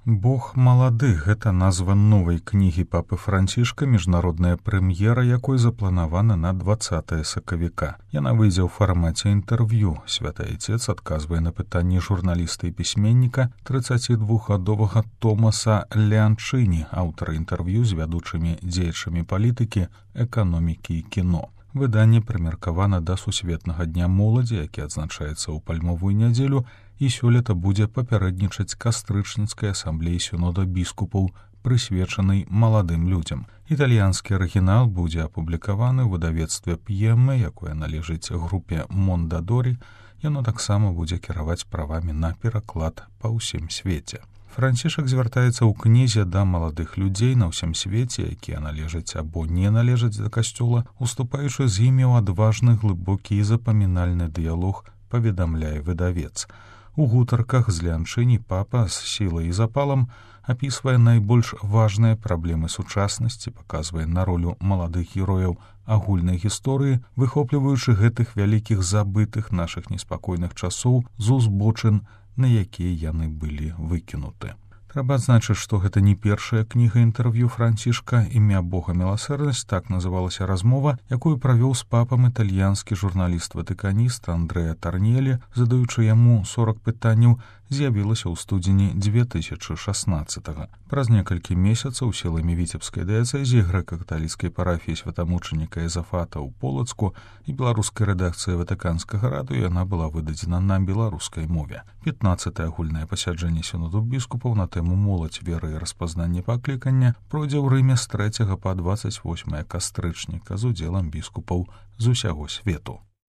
Бог малады — гэта назва новай кнігі папы Францішка, міжнародная прэм'ера, якой запланавана на 20 сакавіка. Яна выйдзе ў фармаце інтэрв'ю. Святы Айцец адказвае на пытанні журналіста і пісьменніка 32гадовага Томаса Леанчыні, аўтара інтэрв'ю з вядучымі дзеячамі палітыкі, эканомікі і кіно. Выданне прымеркавана да Сусветнага дня моладзі, які адзначаецца ў пальмовую нядзелю, і сёлета будзе папярэднічаць кастрычніцкай асамблеі сінода біскупаў, прысвечанай маладым людзям. Італьянскі арыгінал будзе апублікаваны ў выдавецтве П'емме, якое належыць групе Мондадорі. Яно таксама будзе кіраваць правамі на пераклад па ўсім свеце. Францішак звяртаецца ў кнізе да маладых людзей на ўсім свеце, якія належаць або не належаць да касцёла, уступаючы з імі ў адважны, глыбокі і запамінальны дыялог, паведамляе выдавец. У гутарках з Леанчыні папа з сілай і запалам апісвае найбольш важныя праблемы сучаснасці, паказвае на ролю маладых герояў агульнай гісторыі, выхопліваючы гэтых вялікіх забытых нашых неспакойных часоў з узбочын, на якія яны былі выкінуты. Трэба адзначыць, што гэта не першая кніга інтэрв'ю Францішка. «Імя Бога міласэрнасць» — так называлася размова, якую правёў з папам італьянскі журналіст-ватыканіст Андрэа Тарнелі, задаючы яму 40 пытанняў, з'явілася ў студзені 2016-го. Праз некалькі месяцаў сіламі віцебскай дыяцэзіі грэка-каталіцкай парафіі святамучаніка Езафата ў Полацку і беларускай рэдакцыі ватыканскага радыё яна была выдадзена на беларускай мове. 15-е агульнае пасяджэнне сіноду біскупаў на тэму «Моладзь, вера і распазнанне паклікання» пройдзе ў Рыме з 3 па 28 кастрычніка з удзелам біскупаў з усяго свету.